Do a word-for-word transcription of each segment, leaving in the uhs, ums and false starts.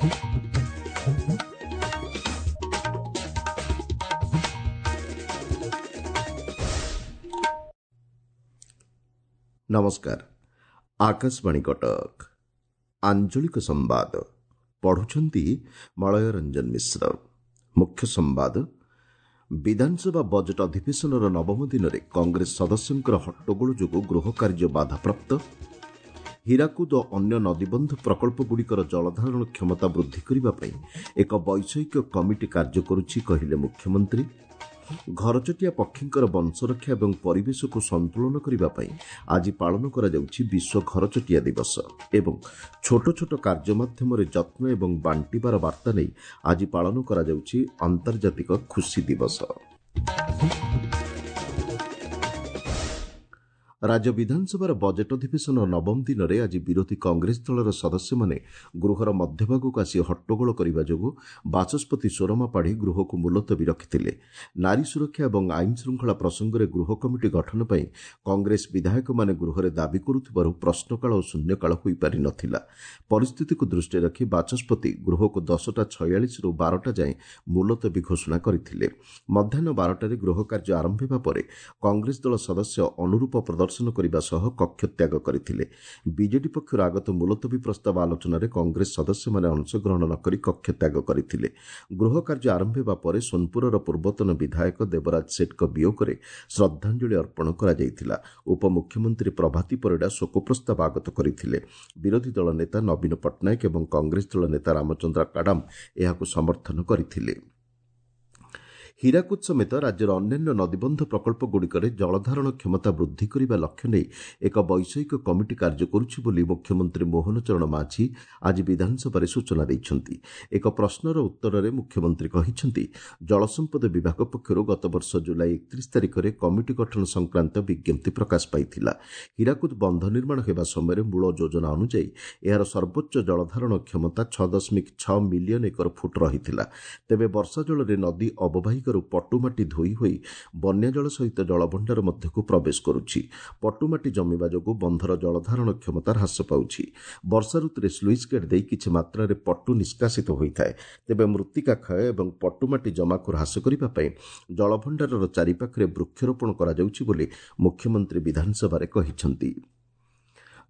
ନମସ୍କାର, ଆକାଶବାଣୀ କଟକ। ଆଞ୍ଚଳିକ ସମ୍ବାଦ ପଢୁଛନ୍ତି ମଳୟ ରଞ୍ଜନ ମିଶ୍ର। ମୁଖ୍ୟ ସମ୍ବାଦ। ବିଧାନସଭା ବଜେଟ୍ ଅଧିବେଶନର ନବମ ଦିନରେ କଂଗ୍ରେସ ସଦସ୍ୟଙ୍କର ହଟ୍ଟଗୋଳ ଯୋଗୁଁ ଗୃହ କାର୍ଯ୍ୟ ବାଧାପ୍ରାପ୍ତ। ହୀରାକୁଦ ଓ ଅନ୍ୟ ନଦୀବନ୍ଧ ପ୍ରକଳ୍ପଗୁଡ଼ିକର ଜଳଧାରଣ କ୍ଷମତା ବୃଦ୍ଧି କରିବା ପାଇଁ ଏକ ବୈଷୟିକ କମିଟି କାର୍ଯ୍ୟ କରୁଛି, କହିଲେ ମୁଖ୍ୟମନ୍ତ୍ରୀ। ଘରଚଟିଆ ପକ୍ଷୀଙ୍କର ବଂଶରକ୍ଷା ଏବଂ ପରିବେଶକୁ ସନ୍ତୁଳନ କରିବା ପାଇଁ ଆଜି ପାଳନ କରାଯାଉଛି ବିଶ୍ୱ ଘରଚଟିଆ ଦିବସ। ଏବଂ ଛୋଟ ଛୋଟ କାର୍ଯ୍ୟ ମାଧ୍ୟମରେ ଯତ୍ନ ଏବଂ ବାଣ୍ଟିବାର ବାର୍ତ୍ତା ନେଇ ଆଜି ପାଳନ କରାଯାଉଛି ଆନ୍ତର୍ଜାତିକ ଖୁସି ଦିବସ। ରାଜ୍ୟ ବିଧାନସଭାର ବଜେଟ୍ ଅଧିବେଶନ ନବମ ଦିନରେ ଆଜି ବିରୋଧୀ କଂଗ୍ରେସ ଦଳର ସଦସ୍ୟମାନେ ଗୃହର ମଧ୍ୟଭାଗକୁ ଆସି ହଟ୍ଟଗୋଳ କରିବା ଯୋଗୁଁ ବାଚସ୍ପତି ସୁରମା ପାଢ଼ୀ ଗୃହକୁ ମୁଲତବୀ ରଖିଥିଲେ। ନାରୀ ସୁରକ୍ଷା ଏବଂ ଆଇନ ଶୃଙ୍ଖଳା ପ୍ରସଙ୍ଗରେ ଗୃହ କମିଟି ଗଠନ ପାଇଁ କଂଗ୍ରେସ ବିଧାୟକମାନେ ଗୃହରେ ଦାବି କରୁଥିବାରୁ ପ୍ରଶ୍ନକାଳ ଓ ଶୂନ୍ୟକାଳ ହୋଇପାରି ନ ଥିଲା। ପରିସ୍ଥିତିକୁ ଦୃଷ୍ଟିରେ ରଖି ବାଚସ୍ପତି ଗୃହକୁ ଦଶଟା ଛୟାଳିଶରୁ ବାରଟା ଯାଏଁ ମୁଲତବୀ ଘୋଷଣା କରିଥିଲେ। ମଧ୍ୟାହ୍ନ ବାରଟାରେ ଗୃହ କାର୍ଯ୍ୟ ଆରମ୍ଭ ହେବା ପରେ କଂଗ୍ରେସ ଦଳ ସଦସ୍ୟ ଅନୁରୂପ ପ୍ରଦର୍ଶନ କରିବା ସହ କକ୍ଷତ୍ୟାଗ କରିଥିଲେ। ବିଜେଡି ପକ୍ଷରୁ ଆଗତ ମୁଲତବୀ ପ୍ରସ୍ତାବ ଆଲୋଚନାରେ କଂଗ୍ରେସ ସଦସ୍ୟମାନେ ଅଂଶଗ୍ରହଣ ନ କରି କକ୍ଷତ୍ୟାଗ କରିଥିଲେ। ଗୃହ କାର୍ଯ୍ୟ ଆରମ୍ଭ ହେବା ପରେ ସୋନପୁରର ପୂର୍ବତନ ବିଧାୟକ ଦେବରାଜ ସେଠଙ୍କ ବିୟୋଗରେ ଶ୍ରଦ୍ଧାଞ୍ଜଳି ଅର୍ପଣ କରାଯାଇଥିଲା। ଉପମୁଖ୍ୟମନ୍ତ୍ରୀ ପ୍ରଭାତୀ ପରିଡ଼ା ଶୋକ ପ୍ରସ୍ତାବ ଆଗତ କରିଥିଲେ। ବିରୋଧୀ ଦଳ ନେତା ନବୀନ ପଟ୍ଟନାୟକ ଏବଂ କଂଗ୍ରେସ ଦଳ ନେତା ରାମଚନ୍ଦ୍ର କାଡାମ ଏହାକୁ ସମର୍ଥନ କରିଥିଲେ। ହୀରାକୁଦ ସମେତ ରାଜ୍ୟର ଅନ୍ୟାନ୍ୟ ନଦୀବନ୍ଧ ପ୍ରକଳ୍ପଗୁଡ଼ିକରେ ଜଳଧାରଣ କ୍ଷମତା ବୃଦ୍ଧି କରିବା ଲକ୍ଷ୍ୟ ନେଇ ଏକ ବୈଷୟିକ କମିଟି କାର୍ଯ୍ୟ କରୁଛି ବୋଲି ମୁଖ୍ୟମନ୍ତ୍ରୀ ମୋହନ ଚରଣ ମାଝୀ ଆଜି ବିଧାନସଭାରେ ସୂଚନା ଦେଇଛନ୍ତି। ଏକ ପ୍ରଶ୍ନର ଉତ୍ତରରେ ମୁଖ୍ୟମନ୍ତ୍ରୀ କହିଛନ୍ତି, ଜଳସମ୍ପଦ ବିଭାଗ ପକ୍ଷରୁ ଗତବର୍ଷ ଜୁଲାଇ ଏକତିରିଶ ତାରିଖରେ କମିଟି ଗଠନ ସଂକ୍ରାନ୍ତ ବିଜ୍ଞପ୍ତି ପ୍ରକାଶ ପାଇଥିଲା। ହୀରାକୁଦ ବନ୍ଧ ନିର୍ମାଣ ହେବା ସମୟରେ ମୂଳ ଯୋଜନା ଅନୁଯାୟୀ ଏହାର ସର୍ବୋଚ୍ଚ ଜଳଧାରଣ କ୍ଷମତା ଛଅ ଦଶମିକ ଛଅ ମିଲିୟନ ଏକର ଫୁଟ ରହିଥିଲା। ତେବେ ବର୍ଷା ଜଳରେ ନଦୀ ଅବବାହିକାରୁ ପଟୁମାଟି ଧୋଇ ହୋଇ ବନ୍ୟାଜଳ ସହିତ ଜଳଭଣ୍ଡାର ମଧ୍ୟକୁ ପ୍ରବେଶ କରୁଛି। ପଟୁମାଟି ଜମିବା ଯୋଗୁଁ ବନ୍ଧର ଜଳଧାରଣ କ୍ଷମତା ହ୍ରାସ ପାଉଛି। ବର୍ଷା ଋତୁରେ ସ୍ଲୁଇସ୍ ଗେଟ୍ ଦେଇ କିଛି ମାତ୍ରାରେ ପଟୁ ନିଷ୍କାସିତ ହୋଇଥାଏ। ତେବେ ମୃତ୍ତିକା କ୍ଷୟ ଏବଂ ପଟୁମାଟି ଜମାକୁ ହ୍ରାସ କରିବା ପାଇଁ ଜଳଭଣ୍ଡାରର ଚାରିପାଖରେ ବୃକ୍ଷରୋପଣ କରାଯାଉଛି ବୋଲି ମୁଖ୍ୟମନ୍ତ୍ରୀ ବିଧାନସଭାରେ କହିଛନ୍ତି।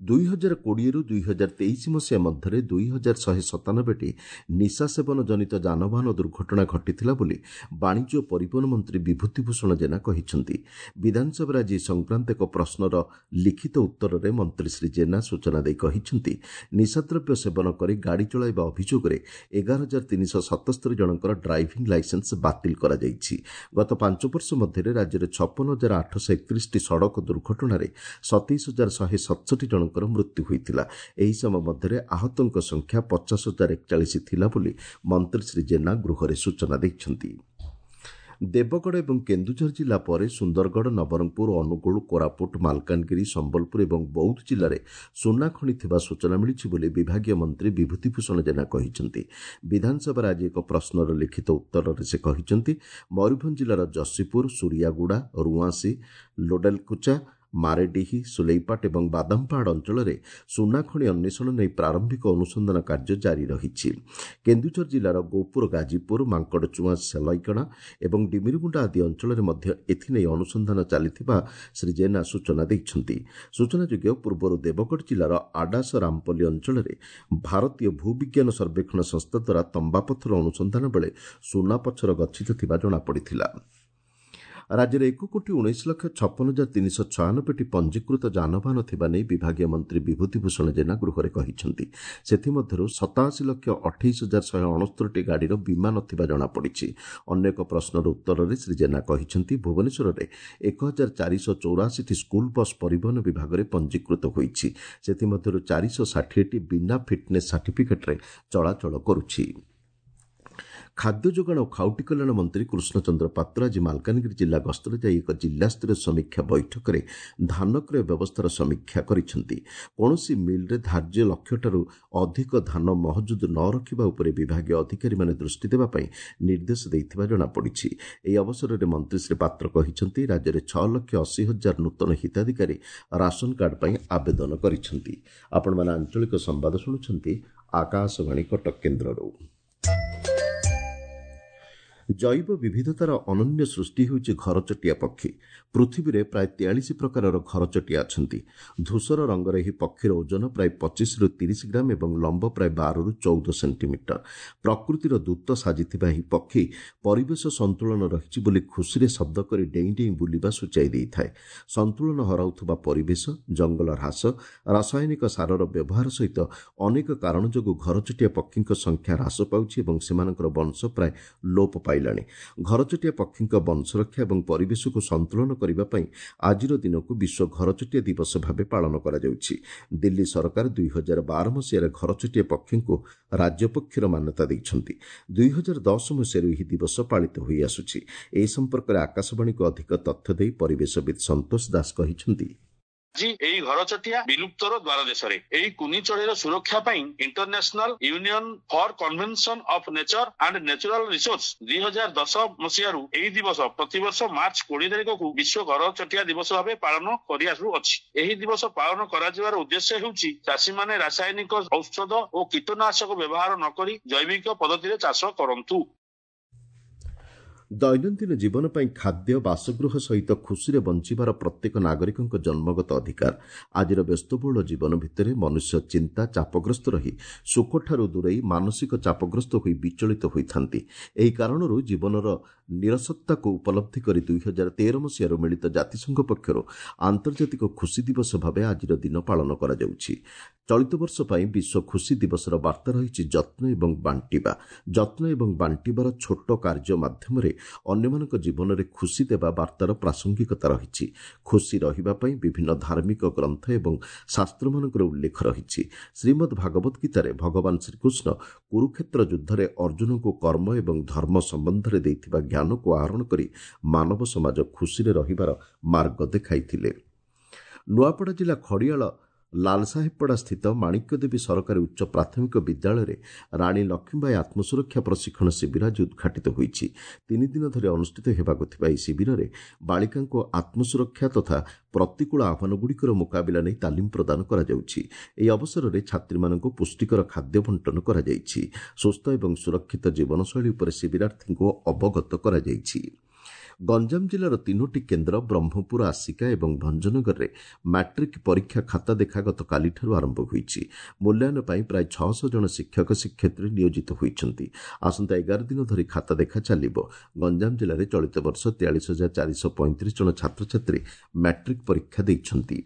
ଦୁଇ ହଜାର କୋଡ଼ିଏରୁ ଦୁଇ ହଜାର ତେଇଶ ମସିହା ମଧ୍ୟରେ ଦୁଇ ହଜାର ଶହେ ସତାନବେଟି ନିଶା ସେବନ ଜନିତ ଯାନବାହନ ଦୁର୍ଘଟଣା ଘଟିଥିଲା ବୋଲି ବାଣିଜ୍ୟ ଓ ପରିବହନ ମନ୍ତ୍ରୀ ବିଭୂତି ଭୂଷଣ ଜେନା କହିଛନ୍ତି। ବିଧାନସଭାରେ ଆଜି ଏ ସଂକ୍ରାନ୍ତ ଏକ ପ୍ରଶ୍ନର ଲିଖିତ ଉତ୍ତରରେ ମନ୍ତ୍ରୀ ଶ୍ରୀ ଜେନା ସୂଚନା ଦେଇ କହିଛନ୍ତି, ନିଶାଦ୍ରବ୍ୟ ସେବନ କରି ଗାଡ଼ି ଚଳାଇବା ଅଭିଯୋଗରେ ଏଗାର ହଜାର ତିନିଶହ ସତସ୍ତରୀ ଜଣଙ୍କର ଡ୍ରାଇଭିଂ ଲାଇସେନ୍ସ ବାତିଲ କରାଯାଇଛି। ଗତ ପାଞ୍ଚ ବର୍ଷ ମଧ୍ୟରେ ରାଜ୍ୟରେ ଛପନ ହଜାର ଆଠଶହ ଏକତିରିଶଟି ସଡ଼କ ଦୁର୍ଘଟଣାରେ ସତେଇଶ ହଜାର ଶହେ ସତଷଠି ଜଣଙ୍କର ମୃତ୍ୟୁ ହୋଇଥିଲା। ଏହି ସମୟ ମଧ୍ୟରେ ଆହତଙ୍କ ସଂଖ୍ୟା ପଚାଶ ହଜାର ଏକଚାଳିଶ ଥିଲା ବୋଲି ମନ୍ତ୍ରୀ ଶ୍ରୀ ଜେନା ଗୃହରେ ସୂଚନା ଦେଇଛନ୍ତି। ଦେବଗଡ଼ ଏବଂ କେନ୍ଦୁଝର ଜିଲ୍ଲା ପରେ ସୁନ୍ଦରଗଡ଼, ନବରଙ୍ଗପୁର, ଅନୁଗୁଳ, କୋରାପୁଟ, ମାଲକାନଗିରି, ସମ୍ବଲପୁର ଏବଂ ବୌଦ୍ଧ ଜିଲ୍ଲାରେ ସୁନା ଖଣି ଥିବା ସୂଚନା ମିଳିଛି ବୋଲି ବିଭାଗୀୟ ମନ୍ତ୍ରୀ ବିଭୂତି ଭୂଷଣ ଜେନା କହିଛନ୍ତି। ବିଧାନସଭାରେ ଆଜି ଏକ ପ୍ରଶ୍ନର ଲିଖିତ ଉତ୍ତରରେ ସେ କହିଛନ୍ତି, ମୟୂରଭଞ୍ଜ ଜିଲ୍ଲାର ଯଶୀପୁର, ସୁରିଆଗୁଡ଼ା, ରୁଆଁସି, ଲୋଡେଲକୁଚା, ମାରେଡିହି, ସୁଲେଇପାଟ ଏବଂ ବାଦାମପାହାଡ଼ ଅଞ୍ଚଳରେ ସୁନାଖଣି ଅନ୍ୱେଷଣ ନେଇ ପ୍ରାରମ୍ଭିକ ଅନୁସନ୍ଧାନ କାର୍ଯ୍ୟ ଜାରି ରହିଛି। କେନ୍ଦୁଝର ଜିଲ୍ଲାର ଗୋପୁର, ଗାଜିପୁର, ମାଙ୍କଡ଼ଚୁଆଁ, ସେଲଇକଣା ଏବଂ ଡିମିରିଗୁଣ୍ଡା ଆଦି ଅଞ୍ଚଳରେ ମଧ୍ୟ ଏଥିନେଇ ଅନୁସନ୍ଧାନ ଚାଲିଥିବା ଶ୍ରୀ ଜେନା ସୂଚନା ଦେଇଛନ୍ତି। ସୂଚନାଯୋଗ୍ୟ, ପୂର୍ବରୁ ଦେବଗଡ଼ ଜିଲ୍ଲାର ଆଡାସ ରାମପଲ୍ଲୀ ଅଞ୍ଚଳରେ ଭାରତୀୟ ଭୂବିଜ୍ଞାନ ସର୍ବେକ୍ଷଣ ସଂସ୍ଥା ଦ୍ୱାରା ତମ୍ବାପଥର ଅନୁସନ୍ଧାନ ବେଳେ ସୁନାପଥର ଗଚ୍ଛିତ ଥିବା ଜଣାପଡ଼ିଥିଲା। ରାଜ୍ୟରେ ଏକ କୋଟି ଉଣେଇଶ ଲକ୍ଷ ଛପନ ହଜାର ତିନିଶହ ଛୟାନବେଟି ପଞ୍ଜୀକୃତ ଯାନବାହନ ଥିବା ନେଇ ବିଭାଗୀୟ ମନ୍ତ୍ରୀ ବିଭୂତି ଭୂଷଣ ଜେନା ଗୃହରେ କହିଛନ୍ତି। ସେଥିମଧ୍ୟରୁ ସତାଅଶୀ ଲକ୍ଷ ଅଠେଇଶ ହଜାର ଶହେ ଅଣସ୍ତରୀଟି ଗାଡ଼ିର ବୀମା ନଥିବା ଜଣାପଡ଼ିଛି। ଅନ୍ୟ ଏକ ପ୍ରଶ୍ନର ଉତ୍ତରରେ ଶ୍ରୀ ଜେନା କହିଛନ୍ତି, ଭୁବନେଶ୍ୱରରେ ଏକ ହଜାର ଚାରିଶହ ଚଉରାଅଶୀଟି ସ୍କୁଲ ବସ୍ ପରିବହନ ବିଭାଗରେ ପଞ୍ଜୀକୃତ ହୋଇଛି। ସେଥିମଧ୍ୟରୁ ଚାରିଶହ ଷାଠିଏଟି ବିନା ଫିଟ୍ନେସ୍ ସାର୍ଟିଫିକେଟ୍ରେ ଚଳାଚଳ କରୁଛି। ଖାଦ୍ୟ ଯୋଗାଣ ଓ ଖାଉଟି କଲ୍ୟାଣ ମନ୍ତ୍ରୀ କୃଷ୍ଣଚନ୍ଦ୍ର ପାତ୍ର ଆଜି ମାଲକାନଗିରି ଜିଲ୍ଲା ଗସ୍ତରେ ଯାଇ ଏକ ଜିଲ୍ଲାସ୍ତରୀୟ ସମୀକ୍ଷା ବୈଠକରେ ଧାନ କ୍ରୟ ବ୍ୟବସ୍ଥାର ସମୀକ୍ଷା କରିଛନ୍ତି। କୌଣସି ମିଲ୍ରେ ଧାର୍ଯ୍ୟ ଲକ୍ଷ୍ୟଠାରୁ ଅଧିକ ଧାନ ମହଜୁଦ ନ ରଖିବା ଉପରେ ବିଭାଗୀୟ ଅଧିକାରୀମାନେ ଦୃଷ୍ଟି ଦେବା ପାଇଁ ନିର୍ଦ୍ଦେଶ ଦେଇଥିବା ଜଣାପଡ଼ିଛି। ଏହି ଅବସରରେ ମନ୍ତ୍ରୀ ଶ୍ରୀ ପାତ୍ର କହିଛନ୍ତି, ରାଜ୍ୟରେ ଛଅ ଲକ୍ଷ ଅଶୀ ହଜାର ନୂତନ ହିତାଧିକାରୀ ରାସନ କାର୍ଡ ପାଇଁ ଆବେଦନ କରିଛନ୍ତି। ଆପଣମାନେ ଆଞ୍ଚଳିକ ସମ୍ବାଦ ଶୁଣୁଛନ୍ତି ଆକାଶବାଣୀ କଟକ କେନ୍ଦ୍ରରୁ। ଜୈବ ବିବିଧତାର ଅନନ୍ୟ ସୃଷ୍ଟି ହେଉଛି ଘରଚଟିଆ ପକ୍ଷୀ। ପୃଥିବୀରେ ପ୍ରାୟ ତେୟାଳିଶ ପ୍ରକାରର ଘରଚଟିଆ ଅଛନ୍ତି। ଧୂସର ରଙ୍ଗର ଏହି ପକ୍ଷୀର ଓଜନ ପ୍ରାୟ ପଚିଶରୁ ତିରିଶ ଗ୍ରାମ ଏବଂ ଲମ୍ବ ପ୍ରାୟ ବାରରୁ ଚଉଦ ସେଣ୍ଟିମିଟର। ପ୍ରକୃତିର ଦୂତ ସାଜିଥିବା ଏହି ପକ୍ଷୀ ପରିବେଶ ସନ୍ତୁଳନ ରହିଛି ବୋଲି ଖୁସିରେ ଶବ୍ଦ କରି ଡେଇଁ ଡେଇଁ ବୁଲିବା ସୂଚାଇ ଦେଇଥାଏ। ସନ୍ତୁଳନ ହରାଉଥିବା ପରିବେଶ, ଜଙ୍ଗଲ ହ୍ରାସ, ରାସାୟନିକ ସାରର ବ୍ୟବହାର ସହିତ ଅନେକ କାରଣ ଯୋଗୁଁ ଘରଚଟିଆ ପକ୍ଷୀଙ୍କ ସଂଖ୍ୟା ହ୍ରାସ ପାଉଛି ଏବଂ ସେମାନଙ୍କର ବଂଶ ପ୍ରାୟ ଲୋପ ପାଇଲାଣି। ଘରଚଟିଆ ପକ୍ଷୀଙ୍କ ବଂଶରକ୍ଷା ଏବଂ ପରିବେଶକୁ ସନ୍ତୁଳନ କରିବା ପାଇଁ ଆଜିର ଦିନକୁ ବିଶ୍ୱ ଘରଚଟିଆ ଦିବସ ଭାବେ ପାଳନ କରାଯାଉଛି। ଦିଲ୍ଲୀ ସରକାର ଦୁଇ ହଜାର ବାର ମସିହାରେ ଘରଚଟିଆ ପକ୍ଷୀଙ୍କୁ ରାଜ୍ୟ ପକ୍ଷୀର ମାନ୍ୟତା ଦେଇଛନ୍ତି। ଦୁଇ ହଜାର ଦଶ ମସିହାରୁ ଏହି ଦିବସ ପାଳିତ ହୋଇଆସୁଛି। ଏ ସମ୍ପର୍କରେ ଆକାଶବାଣୀକୁ ଅଧିକ ତଥ୍ୟ ଦେଇ ପରିବେଶବିତ୍ ସନ୍ତୋଷ ଦାସ କହିଛନ୍ତି, ଆଜି ଏହି ଘରଚଟିଆ ବିଲୁପ୍ତର ଦ୍ୱାର ଦେଶରେ। ଏହି କୁନି ଚଢ଼େଇର ସୁରକ୍ଷା ପାଇଁ International Union for Convention of Nature and Natural Resource ଦୁଇ ହଜାର ଦଶ ମସିହାରୁ ଏହି ଦିବସ ପ୍ରତିବର୍ଷ ମାର୍ଚ୍ଚ କୋଡିଏ ତାରିଖକୁ ବିଶ୍ୱ ଘରଚଟିଆ ଦିବସ ଭାବେ ପାଳନ କରିଆସୁଅଛି। ଏହି ଦିବସ ପାଳନ କରାଯିବାର ଉଦ୍ଦେଶ୍ୟ ହେଉଛି ଚାଷୀମାନେ ରାସାୟନିକ ଔଷଧ ଓ କୀଟନାଶକ ବ୍ୟବହାର ନ କରି ଜୈବିକ ପଦ୍ଧତିରେ ଚାଷ କରନ୍ତୁ। ଦୈନନ୍ଦିନ ଜୀବନ ପାଇଁ ଖାଦ୍ୟ, ବାସଗୃହ ସହିତ ଖୁସିରେ ବଞ୍ଚିବାର ପ୍ରତ୍ୟେକ ନାଗରିକଙ୍କ ଜନ୍ମଗତ ଅଧିକାର। ଆଜିର ବ୍ୟସ୍ତବହୁଳ ଜୀବନ ଭିତରେ ମନୁଷ୍ୟ ଚିନ୍ତା ଚାପଗ୍ରସ୍ତ ରହି ସୁଖଠାରୁ ଦୂରେଇ ମାନସିକ ଚାପଗ୍ରସ୍ତ ହୋଇ ବିଚଳିତ ହୋଇଥାନ୍ତି। ଏହି କାରଣରୁ ଜୀବନର ନିରସତ୍ତାକୁ ଉପଲବ୍ଧି କରି ଦୁଇ ହଜାର ତେର ମସିହାରୁ ମିଳିତ ଜାତିସଂଘ ପକ୍ଷରୁ ଆନ୍ତର୍ଜାତିକ ଖୁସି ଦିବସ ଭାବେ ଆଜିର ଦିନ ପାଳନ କରାଯାଉଛି। ଚଳିତ ବର୍ଷ ପାଇଁ ବିଶ୍ୱ ଖୁସି ଦିବସର ବାର୍ତ୍ତା ରହିଛି ଯତ୍ନ ଏବଂ ବାଣ୍ଟିବା। ଯତ୍ନ ଏବଂ ବାଣ୍ଟିବାର ଛୋଟ କାର୍ଯ୍ୟ ମାଧ୍ୟମରେ ଅନ୍ୟମାନଙ୍କ ଜୀବନରେ ଖୁସି ଦେବା ବାର୍ତ୍ତାର ପ୍ରାସଙ୍ଗିକତା ରହିଛି। ଖୁସି ରହିବା ପାଇଁ ବିଭିନ୍ନ ଧାର୍ମିକ ଗ୍ରନ୍ଥ ଏବଂ ଶାସ୍ତ୍ରମାନଙ୍କର ଉଲ୍ଲେଖ ରହିଛି। ଶ୍ରୀମଦ୍ ଭାଗବତ ଗୀତାରେ ଭଗବାନ ଶ୍ରୀକୃଷ୍ଣ କୁରୁକ୍ଷେତ୍ର ଯୁଦ୍ଧରେ ଅର୍ଜୁନଙ୍କୁ କର୍ମ ଏବଂ ଧର୍ମ ସମ୍ବନ୍ଧରେ ଦେଇଥିବା ଜ୍ଞାନକୁ ଆହରଣ କରି ମାନବ ସମାଜ ଖୁସିରେ ରହିବାର ମାର୍ଗ ଦେଖାଇଥିଲେ। ନୂଆପଡ଼ା ଜିଲ୍ଲା ଖଡ଼ିଆଳ ଲାଲସାହେବପଡ଼ା ସ୍ଥିତ ମାଣିକ୍ୟଦେବୀ ସରକାରୀ ଉଚ୍ଚ ପ୍ରାଥମିକ ବିଦ୍ୟାଳୟରେ ରାଣୀ ଲକ୍ଷ୍ମୀବାଇ ଆତ୍ମସୁରକ୍ଷା ପ୍ରଶିକ୍ଷଣ ଶିବିର ଆଜି ଉଦ୍ଘାଟିତ ହୋଇଛି। ତିନି ଦିନ ଧରି ଅନୁଷ୍ଠିତ ହେବାକୁ ଥିବା ଏହି ଶିବିରରେ ବାଳିକାଙ୍କୁ ଆତ୍ମସୁରକ୍ଷା ତଥା ପ୍ରତିକୂଳ ଆହ୍ୱାନଗୁଡ଼ିକର ମୁକାବିଲା ନେଇ ତାଲିମ ପ୍ରଦାନ କରାଯାଉଛି। ଏହି ଅବସରରେ ଛାତ୍ରୀମାନଙ୍କୁ ପୁଷ୍ଟିକର ଖାଦ୍ୟ ବଣ୍ଟନ କରାଯାଇଛି। ସୁସ୍ଥ ଏବଂ ସୁରକ୍ଷିତ ଜୀବନଶୈଳୀ ଉପରେ ଶିବିରାର୍ଥୀଙ୍କୁ ଅବଗତ କରାଯାଇଛି। ଗଞ୍ଜାମ ଜିଲ୍ଲାର ତିନୋଟି କେନ୍ଦ୍ର ବ୍ରହ୍ମପୁର, ଆସିକା ଏବଂ ଭଞ୍ଜନଗରରେ ମାଟ୍ରିକ୍ ପରୀକ୍ଷା ଖାତା ଦେଖା ଗତକାଲିଠାରୁ ଆରମ୍ଭ ହୋଇଛି। ମୂଲ୍ୟାୟନ ପାଇଁ ପ୍ରାୟ ଛଅଶହ ଜଣ ଶିକ୍ଷକ ଶିକ୍ଷୟିତ୍ରୀ ନିୟୋଜିତ ହୋଇଛନ୍ତି। ଆସନ୍ତା ଏଗାର ଦିନ ଧରି ଖାତା ଦେଖା ଚାଲିବ। ଗଞ୍ଜାମ ଜିଲ୍ଲାରେ ଚଳିତ ବର୍ଷ ତେୟାଳିଶ ହଜାର ଚାରିଶହ ପଇଁତିରିଶ ଜଣ ଛାତ୍ରଛାତ୍ରୀ ମାଟ୍ରିକ୍ ପରୀକ୍ଷା ଦେଇଛନ୍ତି।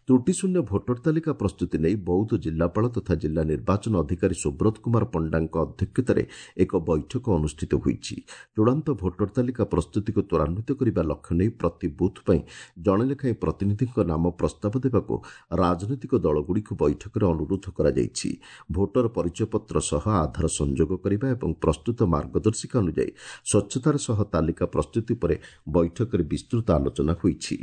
ତ୍ରୁଟିଶୂନ୍ୟ ଭୋଟର ତାଲିକା ପ୍ରସ୍ତୁତି ନେଇ ବୌଦ୍ଧ ଜିଲ୍ଲାପାଳ ତଥା ଜିଲ୍ଲା ନିର୍ବାଚନ ଅଧିକାରୀ ସୁବ୍ରତ କୁମାର ପଣ୍ଡାଙ୍କ ଅଧ୍ୟକ୍ଷତାରେ ଏକ ବୈଠକ ଅନୁଷ୍ଠିତ ହୋଇଛି। ଚୂଡ଼ାନ୍ତ ଭୋଟର ତାଲିକା ପ୍ରସ୍ତୁତିକୁ ତ୍ୱରାନ୍ୱିତ କରିବା ଲକ୍ଷ୍ୟ ନେଇ ପ୍ରତି ବୁଥ୍ ପାଇଁ ଜଣେ ଲେଖାଏଁ ପ୍ରତିନିଧିଙ୍କ ନାମ ପ୍ରସ୍ତାବ ଦେବାକୁ ରାଜନୈତିକ ଦଳଗୁଡ଼ିକୁ ବୈଠକରେ ଅନୁରୋଧ କରାଯାଇଛି। ଭୋଟର ପରିଚୟପତ୍ର ସହ ଆଧାର ସଂଯୋଗ କରିବା ଏବଂ ପ୍ରସ୍ତୁତ ମାର୍ଗଦର୍ଶିକା ଅନୁଯାୟୀ ସ୍ୱଚ୍ଛତାର ସହ ତାଲିକା ପ୍ରସ୍ତୁତି ଉପରେ ବୈଠକରେ ବିସ୍ତୃତ ଆଲୋଚନା ହୋଇଛି।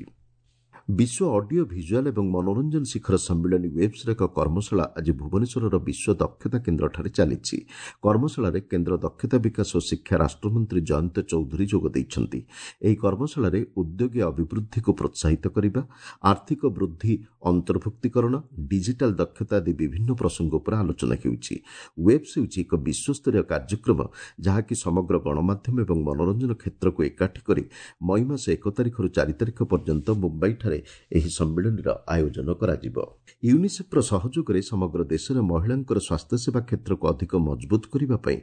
ବିଶ୍ୱ ଅଡିଓ ଭିଜୁଆଲ୍ ଏବଂ ମନୋରଞ୍ଜନ ଶିଖର ସମ୍ମିଳନୀ ୱେବ୍ସର ଏକ କର୍ମଶାଳା ଆଜି ଭୁବନେଶ୍ୱରର ବିଶ୍ୱ ଦକ୍ଷତା କେନ୍ଦ୍ରଠାରେ ଚାଲିଛି। କର୍ମଶାଳାରେ କେନ୍ଦ୍ର ଦକ୍ଷତା ବିକାଶ ଓ ଶିକ୍ଷା ରାଷ୍ଟ୍ରମନ୍ତ୍ରୀ ଜୟନ୍ତ ଚୌଧୁରୀ ଯୋଗ ଦେଇଛନ୍ତି। ଏହି କର୍ମଶାଳାରେ ଉଦ୍ୟୋଗୀ ଅଭିବୃଦ୍ଧିକୁ ପ୍ରୋତ୍ସାହିତ କରିବା, ଆର୍ଥିକ ବୃଦ୍ଧି, ଅନ୍ତର୍ଭୁକ୍ତୀକରଣ, ଡିଜିଟାଲ ଦକ୍ଷତା ଆଦି ବିଭିନ୍ନ ପ୍ରସଙ୍ଗ ଉପରେ ଆଲୋଚନା ହେଉଛି। ୱେବ୍ସ ହେଉଛି ଏକ ବିଶ୍ୱସ୍ତରୀୟ କାର୍ଯ୍ୟକ୍ରମ ଯାହାକି ସମଗ୍ର ଗଣମାଧ୍ୟମ ଏବଂ ମନୋରଞ୍ଜନ କ୍ଷେତ୍ରକୁ ଏକାଠି କରି ମଇ ମାସ ଏକ ତାରିଖରୁ ଚାରି ତାରିଖ ପର୍ଯ୍ୟନ୍ତ ମୁମ୍ବାଇଠାରେ ଏହି ସମ୍ମିଳନୀର ଆୟୋଜନ କରାଯିବ। ୟୁନିସେଫ୍ର ସହଯୋଗରେ ସମଗ୍ର ଦେଶରେ ମହିଳାଙ୍କର ସ୍ୱାସ୍ଥ୍ୟସେବା କ୍ଷେତ୍ରକୁ ଅଧିକ ମଜବୁତ କରିବା ପାଇଁ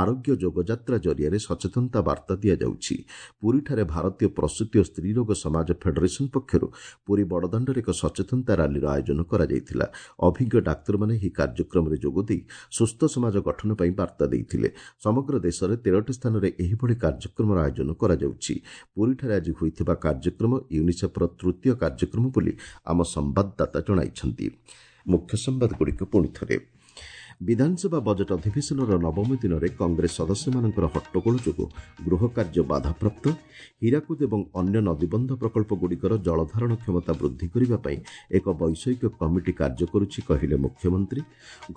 ଆରୋଗ୍ୟ ଯୋଗଯାତ୍ରା ଜରିଆରେ ସଚେତନତା ବାର୍ତ୍ତା ଦିଆଯାଉଛି। ପୁରୀଠାରେ ଭାରତୀୟ ପ୍ରସୂତି ଓ ସ୍ତ୍ରୀରୋଗ ସମାଜ ଫେଡେରେସନ ପକ୍ଷରୁ ପୁରୀ ବଡ଼ଦାଣ୍ଡରେ ଏକ ସଚେତନତା ରାଲିର ଆୟୋଜନ କରାଯାଇଥିଲା। ଅଭିଜ୍ଞ ଡାକ୍ତରମାନେ ଏହି କାର୍ଯ୍ୟକ୍ରମରେ ଯୋଗଦେଇ ସୁସ୍ଥ ସମାଜ ଗଠନ ପାଇଁ ବାର୍ତ୍ତା ଦେଇଥିଲେ। ସମଗ୍ର ଦେଶରେ ତେରଟି ସ୍ଥାନରେ ଏହିଭଳି କାର୍ଯ୍ୟକ୍ରମର ଆୟୋଜନ କରାଯାଉଛି। ପୁରୀଠାରେ ଆଜି ହୋଇଥିବା କାର୍ଯ୍ୟକ୍ରମ ୟୁନିସେଫ୍ର ତୃତୀୟ କାର୍ଯ୍ୟକ୍ରମ ବୋଲି ଆମ ସମ୍ବାଦଦାତା ଜଣାଇଛନ୍ତି। ମୁଖ୍ୟ ସମ୍ବାଦଗୁଡ଼ିକୁ ପୁଣି ଥରେ। ବିଧାନସଭା ବଜେଟ୍ ଅଧିବେଶନର ନବମ ଦିନରେ କଂଗ୍ରେସ ସଦସ୍ୟମାନଙ୍କର ହଟ୍ଟଗୋଳ ଯୋଗୁଁ ଗୃହ କାର୍ଯ୍ୟ ବାଧାପ୍ରାପ୍ତ। ହୀରାକୁଦ ଏବଂ ଅନ୍ୟ ନଦୀବନ୍ଧ ପ୍ରକଳ୍ପଗୁଡ଼ିକର ଜଳଧାରଣ କ୍ଷମତା ବୃଦ୍ଧି କରିବା ପାଇଁ ଏକ ବୈଷୟିକ କମିଟି କାର୍ଯ୍ୟ କରୁଛି, କହିଲେ ମୁଖ୍ୟମନ୍ତ୍ରୀ।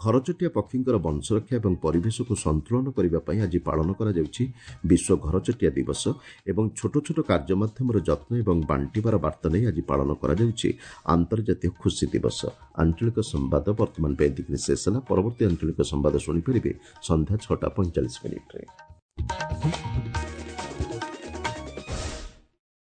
ଘରଚଟିଆ ପକ୍ଷୀଙ୍କର ବଂଶରକ୍ଷା ଏବଂ ପରିବେଶକୁ ସନ୍ତୁଳନ କରିବା ପାଇଁ ଆଜି ପାଳନ କରାଯାଉଛି ବିଶ୍ୱ ଘରଚଟିଆ ଦିବସ ଏବଂ ଛୋଟ ଛୋଟ କାର୍ଯ୍ୟ ମାଧ୍ୟମରେ ଯତ୍ନ ଏବଂ ବାଣ୍ଟିବାର ବାର୍ତ୍ତା ନେଇ ଆଜି ପାଳନ କରାଯାଉଛି ଆନ୍ତର୍ଜାତୀୟ ଖୁସି ଦିବସ। ଆଞ୍ଚଳିକ ସମ୍ବାଦ ବର୍ତ୍ତମାନ ପାଇଁ ଏତିକିରେ ଶେଷ ହେଲା। ପରବର୍ତ୍ତୀ ପରବର୍ତ୍ତୀ ଆଞ୍ଚଳିକ ସମ୍ବାଦ ଶୁଣିପାରିବେ ସନ୍ଧ୍ୟା ଛଅଟା ପଇଁଚାଳିଶ ମିନିଟ୍ରେ।